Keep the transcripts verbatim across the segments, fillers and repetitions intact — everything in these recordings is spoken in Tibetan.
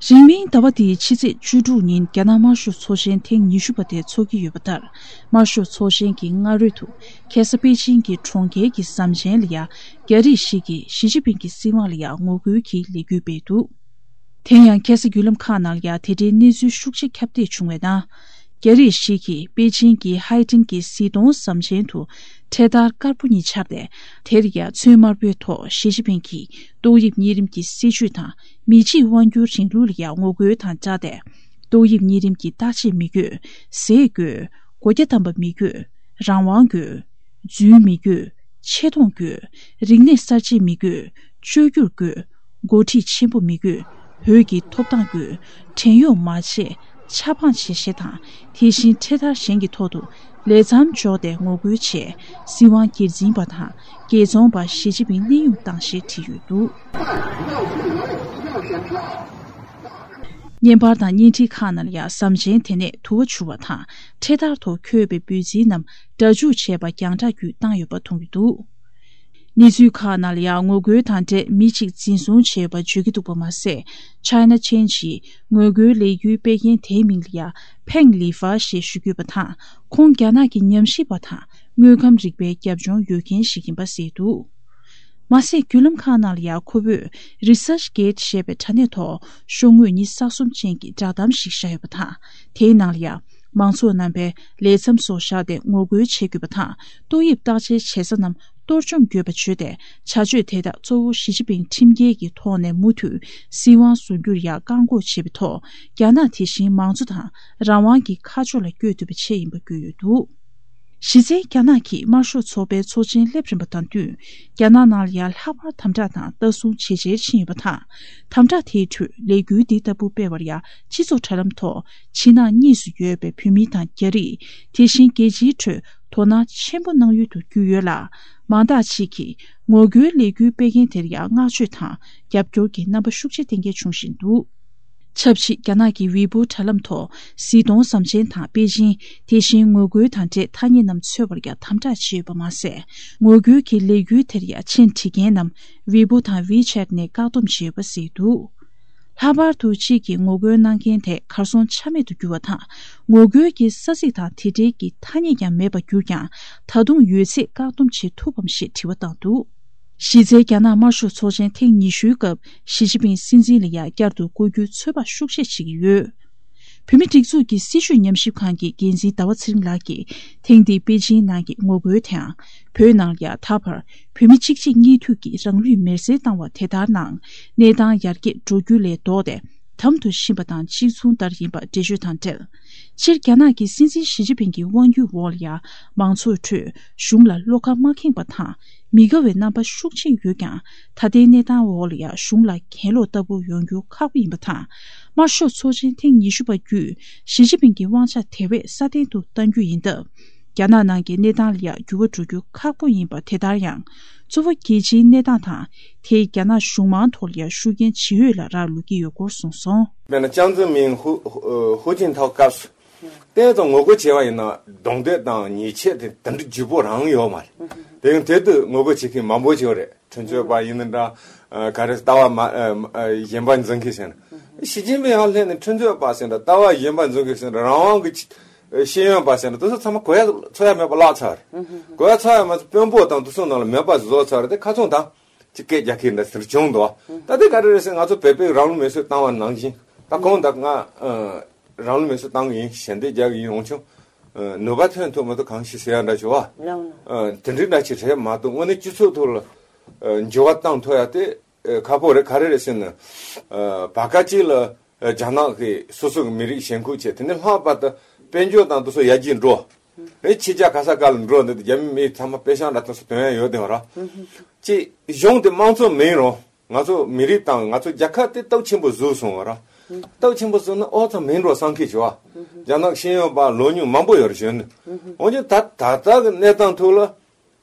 རིང་མིན་ཟླ་བ་འདིའི་ཕྱི་ཚེས་བཅུ་དྲུག་ཉིན་རྒྱ་ནག་དམར་ཤོག་ཚོགས་ཆེན་ཐེངས་ཉི་ཤུ་པ་དེ་འཚོགས་ཀྱི་ཡོད་པ་ལྟར། དམར་ཤོག་ཚོགས་ཆེན་གྱི་སྔ་རོལ་དུ། ཁ་སང་པེ་ཅིང་གི་གྲོང་ཁྱེར་གྱི་ཟམ་ཆེན་ལ་ཡང་རྒྱ་རིགས་ཤིག་གིས་ཞི་ཅིན་ཕིང་གི་སྲིད་དབང་ལ་ཡང་ངོ་རྒོལ་གྱི་ལས་འགུལ་སྤེལ་འདུག་དེ་ཡང་ཁ་སང་བརྒྱུད་ལམ་ཁག་ནང་ལ་ཡང་དེ་འབྲེལ་གནས་ཚུལ་ཤུགས་ཆེ་ཁྱབ་གདལ་བྱུང་བའི་ནང་། རྒྱ་རིགས་ཤིག་གིས་པེ་ཅིང་གི་ཧའེ་ཏིན་གྱི་གཟི་མདོང་ཟམ་ཆེན་དུ་འཕྲེད་དར་དཀར་པོ་གཉིས་འཕྱར་ཏེ། དེར་ཡང་ཚོན་དམར་པོའི་ཐོག་ཞི་ཅིན་ཕིང་གིས་ཏོག་དབྱིབས་གཉན་རིམས་ཀྱི་སྲིད་བྱུས་དང་མི་གཅིག་དབང་སྒྱུར་རིང་ལུགས་ལ་ཡང་ངོ་རྒོལ་དང་སྦྲགས་ཏེ། ཏོག་དབྱིབས་གཉན་རིམས་ཀྱི་བརྟག་དཔྱད་མི་དགོས། ཟས་དགོས། སྒོ་རྒྱ་བསྡམས་པ་མི་དགོས། རང་དབང་དགོས། རྫུན་མི་དགོས། ཆེ་མཐོང་དགོས། རིག་གནས་གསར་བརྗེ་མི་དགོས། བཅོས་བསྒྱུར་དགོས། འགོ་ཁྲིད་ཆེན་པོ་མི་དགོས། བོད་ཀྱི་ཐོབ་ཐང་དགོས། བྲན་གཡོག་མ་བྱེད། ཆབ་འབངས་བྱེད་ཞེས་དང་། དེ་བཞིན་འཕྲེད་དར་གཞན་གྱི་ཐོག་ཏུ་ལས་མཚམས་འཇོག་སྟེ་ངོ་རྒོལ་བྱས། སྲིད་དབང་སྒེར་འཛིན་པ་དང་རྒྱལ་བཙོང་པ་ཞི་ཅིན་ཕིང་གནས་དབྱུང་བཏང་ཞེས་བྲིས་ཡོད་འདུག་བརྙན་པར་དང་བརྙན་འཕྲིན་ཁག་ནང་ལ་ཡང་ཟམ་ཆེན་དེ་ནས་དུ་བ་འཕྱུར་བ་དང་འཕྲེད་དར་ཐོག་འཁོད་པའི་འབོད་ཚིག་རྣམས་སྒྲ་འཇུག་བྱས་པ་རྒྱང་བསྒྲགས་བརྒྱུད་བཏང་ཡོད་པ་མཐོང་གི་འདུག་གནས་ཚུལ་ཁག་ནང་ལ་ཡང་ངོ་རྒོལ་དང་འབྲེལ་མི་གཅིག་འཛིན་བཟུང་བྱས་ཡོད་པ་བརྗོད་ཀྱི་འདུག་པ་མ་ཟད། China Change ཡིས་ངོ་རྒོལ་ལས་འགུལ་སྤེལ་མཁན་དེའི་མིང་ལ་ཡང་ཕེང་ལི་ཧྥ་ཞེས་ཞུ་གི་ཡོད་པ་དང་། ཁོང་རྒྱ་ནག་གི་ཉམས་ཞིབ་པ་དང་དངོས་ཁམས་རིག་པའི་རྒྱབ་ལྗོངས་ཡོད་མཁན་ཞིག་ཡིན་པ་གསལ་འདུག་མ་ཟད། བརྒྱུད་ལམ་ཁག་ནང་ལ་ཡང་ཁོ་བོས་Research Gate ཞེས་པའི་དྲ་གནས་ཐོག་ཤོག་ངོས་ཉི་ཤུ་རྩ་གསུམ་ཅན་གྱི་བསྒྲགས་གཏམ་ཞིག་བཞག་ཡོད་པ་དང་། དེའི་ནང་ལ་ཡང་མང་ཚོགས་རྣམ་པས་ལས་མཚམས་སོགས་བཞག་སྟེ་ངོ་རྒོལ་བྱེད་དགོས་པ་དང་། ཏོག་དབྱིབས་བརྟག་དཔྱད་བྱེད་ས་རྣམས་གཏོར་བཅོམ་དགོས་པ་བརྗོད་དེ། བྱ་སྤྱོད་དེ་དག་གཙོ་བོ་ཞི་ཅིན་ཕིང་ཁྲིམས་འགལ་གྱི་ཐོག་ནས་མུ་མཐུད་སྲིད་དབང་བཟུང་རྒྱུར་ཡང་བཀག་འགོག་བྱེད་པའི་ཐོག་རྒྱ་ནག་དེ་བཞིན་མང་གཙོ་དང་རང་དབང་གི་ཁ་ཕྱོགས་ལ་བསྐྱོད་ཐུབ་པའི་ཆེད་ཡིན་པ་བཀོད་ཡོད་འདུག་གཞི་རྩའི་རྒྱ་ནག་གིས་དམར་ཤོག་ཚོགས་པའི་ཚོགས་ཆེན་སླེབས་རན་པ་དང་བསྟུན། རྒྱ་ནག་ནང་ལ་ཡང་ལྷག་པར་དམ་དྲག་དང་ལྟ་སྲུང་ཇེ་ཆེར་ཕྱིན་ཡོད་པ་དང་། དམ་དྲག་དེའི་ཁྲོད་ལས་འགུལ་འདི་ལྟ་བུ་སྤེལ་བར་ཡང་སྤྱི་ཚོགས་དྲ་ལམ་ཐོག་ཕྱི་ནང་གཉིས་སུ་ཡོད་པའི་བོད་མི་དང་རྒྱ་རིགས། དེ་བཞིན་རྒྱལ་སྤྱིའི་ཁྲོད་དོ་སྣང་ཆེན་པོ་གནང་ཡུལ་དུ་གྱུར་ཡོད་ལ། མང་དག་ཅིག་གིས་ངོ་རྒོལ་ལས་འགུལ་སྤེལ་མཁན་དེར་ཡང་བསྔགས་བརྗོད་དང་རྒྱབ་སྐྱོར་གྱི་རྣམ་པ་ཤུགས་ཆེ་བསྟན་མཁན་བྱུང་བཞིན་འདུག་ཆབས་ཅིག་རྒྱ་ནག་གི་ཝེ་པོ་དྲ་ལམ་ཐོག་གཟི་མདོང་ཟམ་ཆེན་དང་པེ་ཅིང་། དེ་བཞིན་ངོ་རྒོལ་དང་འབྲེལ་ཐ་སྙད་རྣམས་འཚོལ་བར་ཡང་དམ་དྲག་བྱས་ཡོད་པ་མ་ཟད། ངོ་རྒོལ་གྱི་ལས་འགུལ་དེར་ཡང་མཆན་བྲིས་མཁན་རྣམས་ཝེ་པོ་དང་ཝེ་ཆེད་ནས་བཀག་སྡོམ་བྱས་ཡོད་པ་གསལ་འདུག་ལྷག་པར་དུ་གཅིག་གིས་ངོ་རྒོལ་གནང་མཁན་དེ་གར་སོང་ཆ་མེད་དུ་གྱུར་བ་དང་། ངོ་རྒོལ་གྱི་ས་ཚིགས་དང་དེ་འབྲེལ་གྱི་ཐ་སྙད་ཀྱང་མེད་པར་གྱུར་ཀྱང་། ད་དུང་ཡོད་ཚད་བཀག་སྡོམ་བྱེད་ཐུབ་བམ་ཞེས་དྲི་བ་བཏང་འདུག་གཞི་རྩའི་རྒྱ་ནག་དམར་ཤོག་ཚོགས་ཆེན་ཐེངས་ཉི་ཤུའི་སྐབས་ཞི་ཅིན་ཕིང་སྲིད་འཛིན་ལ་ཡང་བསྐྱར་དུ་བསྐོ་རྒྱུའི་ཚོད་དཔག་ཤུགས་ཆེ་བྱེད་ཀྱི་ཡོད། བོད་མིའི་སྒྲིག་འཛུགས་ཀྱི་སྲིད་བྱུས་ཉམས་ཞིབ་ཁང་གི་འགན་འཛིན་ཟླ་བ་ཚེ་རིང་ལགས་ཀྱིས་ཐེངས་འདིའི་པེ་ཅིང་ནང་གི་ངོ་རྒོལ་དེའང་བོད་ནང་ལ་ཡང་ད་བར་བོད་མི་གཅིག་རྗེས་གཉིས་མཐུད་ཀྱིས་རང་ལུས་མེར་སྲེག་བཏང་བ་དེ་ལྟར་ནང་གནས་སྟངས་ཡར་རྒྱས་འགྲོ་རྒྱུ་ལས་ལྡོག་སྟེ། དམ་དུ་ཕྱིན་པ་དང་གཅིག་མཚུངས་ལྟར་ཡིན་པ་འགྲེལ་བརྗོད་དང་འབྲེལ། སྤྱིར་རྒྱ་ནག་གི་སྲིད་འཛིན་ཞི་ཅིན་ཕིང་གི་དབང་སྒྱུར་འོག་ལ་ཡང་མང་ཚོགས་ཁྲོད་གཞུང་ལ་བློ་ཁ་མ་ཁེངས་པ་དང་མི་དགའ་བའི་རྣམ་པ་ཤུགས་ཆེན་ཡོད་ཀྱང་། ད་ལྟའི་གནས་སྟངས་འོག་ལ་ཡང་གཞུང་ལ་གྱེན་ལོག་ལྟ་བུ་ཡོང་རྒྱུ་ཁག་པོ་ཡིན་པ་དང་། དམར་ཤོག་ཚོགས་ཆེན་ཐེངས་ཉི་ཤུ་པ་བརྒྱུད་ཞི་ཅིན་ཕིང་གི་དབང་ཆ་དེ་བས་སྲ་བརྟན་དུ་གཏང་རྒྱུ་ཡིན་སྟབས། རྒྱ་ནག་ནང་གི་གནས་སྟངས་ལ་ཡང་འགྱུར་བ་འགྲོ་རྒྱུ་ཁག་པོ་ཡིན་པ་དེ་ལྟར་ཡང་། གཙོ་བོ་རྒྱལ་སྤྱིའི་གནས་སྟངས་དང་། དེས་རྒྱ་ནག་གཞུང་མང་ཐོག་ལ་ཡང་ཤུགས་རྐྱེན་ཇི་ཡོད་ལ་རག་ལུས་ཀྱི་ཡོད་སྐོར་གསུངས་སོང་། དཔེར་ན་ཅང་ཙེ་མིན་ཧུ་ཧུ་ཧུ་ཅིན་ཐའོ་སྐབས་སུ་བལྟས་ཙང་ངོ་རྒོལ་བྱས་པ་ཡིན་ན་གདོང་གཏད་དང་ཉེས་ཆད་དེ་དེ་འདྲ་ལྗིད་པོ་རང་ཡོད་མ་རེད། དེ་ཡང་དེ་དུས་ངོ་རྒོལ་བྱེད་མཁན་མང་པོ་ཞིག་ཡོད་རེད། ཁྲིམས་རྩོད་པ་ཡིན་ན་འདྲ། ཨ་ག་རེ་ལྟ་བ་མ་ཨ་ཨ་གཞན་པ་འཛིན་མཁན་ཟེར་ན། ཞི་ཅིན་ཕིང་ཡར་སླེབས་ནས་ཁྲིམས་རྩོད་པ་ཟེར་འདྲ། ལྟ་བ་གཞན་པ་འཛིན་མཁན་ཟེར་འདྲ། རང་དབང་གི་ཤེས་ཡོན་པ་ཟེར་འདྲ། དེ་ཚོ་ཚང་མ་གོ་ཡ་འཚོལ་ཡ་མེད་པ་བརླག་ཚར་རེད། གོ་ཡ་འཚོལ་ཡ་མ་ཚད་དཔོན་པོ་དང་དེ་ཚོ་ནང་ལ་མེད་པ་བཟོ་ཚར་རེད། དེ་ཁ་ཚོན་དང་ཅིག་སྐད་རྒྱག་མཁན་འདྲ་ཟེར་བྱུང་འདུག་ད་དེ་ག་རེ་རེད་ཟེར། ང་ཚོ་བོད་པས་རང་ལུས་མེར་སྲེག་བཏང་བ་ནང་བཞིན། ད་ཁོང་ད་ང་ཨ་རང་ལུས་མེར་སྲེག་བཏང་གི་ཡིན། ཞལ་འདེབས་རྒྱག་གི་ཡིན། འོན་ཀྱང་ནུས་པ་ཐོན་ཐུབ་མི་ཐུབ་གང་ཞིག་ཟེར་ཡ་འདྲ་བྱུང་བ། ཨ་དེ་འདྲའི་འདྲ་ཅིག་རེད་མ་གཏོགས་དངོས་གནས་སྤྱི་ཚོགས་ཐོག་ལ་ཨ་འགྱུར་བ་བཏང་ཐུབ་ཡ་དེ་ཨ་ཁག་པོ་རེད། ག་རེ་རེད་ཟེར་ན། ཨ་བར་སྐབས་ཅིག་ལ་ཨ་རྒྱ་ནག་གི་སོ་སོ་གི་མི་རིགས་ཞེན་ཁོག་བྱས། དེ་ནས་ལྷག་པར་དུ་དཔལ་འབྱོར་དང་དེ་ཚོ་ཡར་རྒྱས་འགྲོ། ཨེ་ཕྱི་རྒྱལ་ག་ས་ག་ལ་འགྲོ་འདི་རྒྱ་མི་མི་ཚང་མ་དཔེ་ཤག་འདྲ་ཐོན་སོང་། དོན་ཡང་ཡོད་དེ་བ་ར། ཅིག་གཞུང་དེ་དམངས་གཙོ་མིན་རུང་། ང་ཚོ་མི་རིགས་དང་ང་ཚོ་རྒྱལ་ཁབ་དེ་སྟོབས་ཆེན་པོ་བཟོས་སོང་བ་ར། སྟོབས་ཆེན་པོ་བཟོས་ན་ཨོ་ཙམ་མིན་འགྲོ་བསམ་མཁན་བྱུང་བ། རྒྱ་ནག་ཤེས་ཡོན་པ་ལོ་ཉུང་མང་པོ་ཡོད་རེད་གཞོན་ནུ། འོན་ཀྱང་ད་ད་ལྟ་གི་གནས་སྟངས་ཐོག་ལ་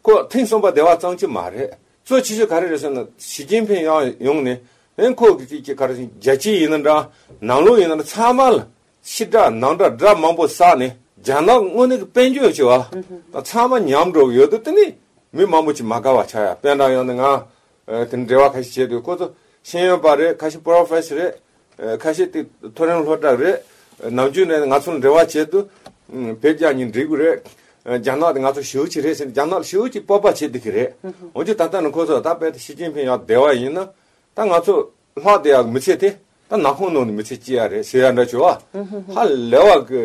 ཁོ་ཐེངས་གསུམ་པ་བདེ་བ་ཙམ་གྱི་མ་རེད། གཙོ་ཆེ་ཤོས་ག་རེ་རེད་ཟེར་ན། ཞི་ཅིན་ཕིང་ཡང་ཡོང་ནས་ཨེ་ཁོ་གི་ཅིག་ཅིག་ག་རེ་ཟེར། རྒྱལ་སྤྱི་ཡིན་ན་འདྲ། ནང་ལོགས་ཡིན་ན་འདྲ། ཚང་མ་ལ་ཕྱི་དགྲ་ནང་དགྲ་དགྲ་མང་པོ་བསགས་ནས་རྒྱ་ནག་དངོས་གནས་ཀྱི་དཔལ་འབྱོར་བྱས་བ་དང་ཚང་མ་ཉམས་འགྲོ་གི་ཡོད་དུས། དེ་ནི་མི་མང་པོ་ཅིག་མ་དགའ་བ་ཆགས་ཡ། དཔེར་ན་ཡང་ན་ང་ ཨ་དེ་འབྲེལ་བ་ཁ་ཤས་བྱས་འདུག་ཁོ་ཚོ་ཤེས་ཡོན་པ་རེད། ཁ་ཤས་པོ་རོ་ཕེ་སར་རེད། ཨ་ཁ་ཤས་དེ་མཐོ་རིམ་སློབ་གྲྭ་རེད། ཨ་ནམ་རྒྱུན་ནས་ང་ཚོ་ལ་འབྲེལ་བ་བྱས་འདུག་ཨ་བོད་རྒྱ་གཉིས་འགྲིག་གི་རེད། ཨ་རྒྱ་ནག་དེ་ང་ཚོ་ཞེ་པོ་ཅིག་རེད་ཟེར་ནས་རྒྱ་ནག་ལ་ཞེ་པོ་ཅིག་སྤོབས་པ་བྱེད་བསྡད་ཀྱི་རེད། འོན་ཀྱང་ད་ལྟ་ནི་ཁོ་ཚོ་ད་དཔེ་ཞི་ཅིན་ཕིང་ཡར་བསྡད་པ་ཡིན་ན། ད་ང་ཚོ་ལྷག་བསྡད་ཡག་མི་ཚེ་དེ་ད་ནག་ཁུང་ནང་ནས་མི་ཚེ་སྐྱེལ་ཡག་རེད་ཟེར་ཡག་འདྲ་བྱུང་བ། ཧ་ལས་པ་གི་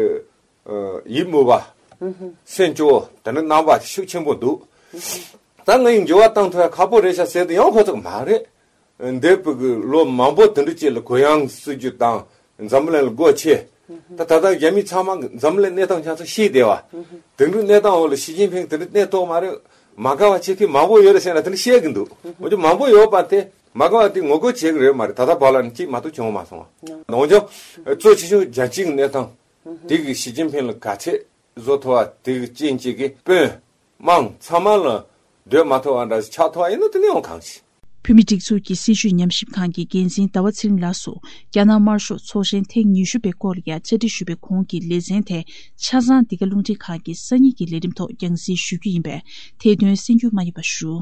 ཡིད་མོས་པ། སེམས་སྐྱོ་བོ་དེ་འདྲ་རྣམ་པ་ཤུགས་ཆེན་པོ་འདུག་ད་ང་ཡི་འགྱུར་བ་བཏང་ཐུབ་ཡག་ཁག་པོ་རེད་ཤག་ཟེར་དུས་ཡང་ཁོ་ཚོ་མ་རེད། འདས་པའི་གི་ལོ་མང་པོ་དེ་འདྲ་ཅིག་ལ་གུ་ཡངས་སྲིད་ཇུས་དང་འཛམ་གླིང་ལ་སྒོ་ཕྱེ། ད་ད་ལྟ་རྒྱ་མི་ཚང་མ་གི་འཛམ་གླིང་གནས་སྟངས་ཆ་ཚང་ཤེས་བསྡད་པ། དེང་དུས་གནས་སྟངས་འོག་ལ་ཞི་ཅིན་ཕིང་དེ་འདྲ་གནས་ཐུབ་མ་རེད། མ་དགའ་བ་བྱེད་མཁན་མང་པོ་ཡོད་རེད་ཟེར་ན་དེ་འདྲ་བཤད་གི་འདུག་འོན་ཀྱང་མང་པོ་ཡོད་པ་དེ་མ་དགའ་བ་དེ་ངོ་རྒོལ་བྱེད་གི་རེད་མ་རེད། ད་ལྟ་བར་ལ་ནི་གཅིག་མ་གཏོགས་བྱུང་མ་སོང་བ། འོན་ཀྱང་གཙོ་ཆེ་ཤོས་རྒྱལ་སྤྱིའི་གནས་སྟངས་དེ་གི་ཞི་ཅིན་ཕིང་ལ་ག་ཚད་བཟོ་ཐུབ་པ་དེ་གི་རྐྱེན་གཅིག་གིས་དཔོན་དམངས་ཚང་མ་ལ་སྡོད་མ་ཐུབ་པ་འདྲ་ཞིག་ཆགས་ཐུབ་པ་ཡིན་ན་དེ་ནི་ཡང་གང་ཞིག་བོད་མིའི་སྒྲིག་འཛུགས་ཀྱི་སྲིད་བྱུས་ཉམས་ཞིབ་ཁང་གི་འགན་འཛིན་ཟླ་བ་ཚེ་རིང་ལགས་སུ་རྒྱ་ནག་དམར་ཤོག་ཚོགས་ཆེན་ཐེངས་ཉི་ཤུ་པའི་སྐོར་ལ་ཡང་བཅར་འདྲི་ཞུས་པའི་གོང་གི་ལེ་ཚན་དེ་ཆ་ཚང་འདི་ག་རླུང་འཕྲིན་ཁང་གི་སང་ཉིན་གྱི་ལས་རིམ་ཐོག་རྒྱང་སྲིང་ཞུ་རྒྱུ་ཡིན་པས་དེ་དོན་གསན་རྒྱུ་མ་བསྙེལ་བ་ཞུ།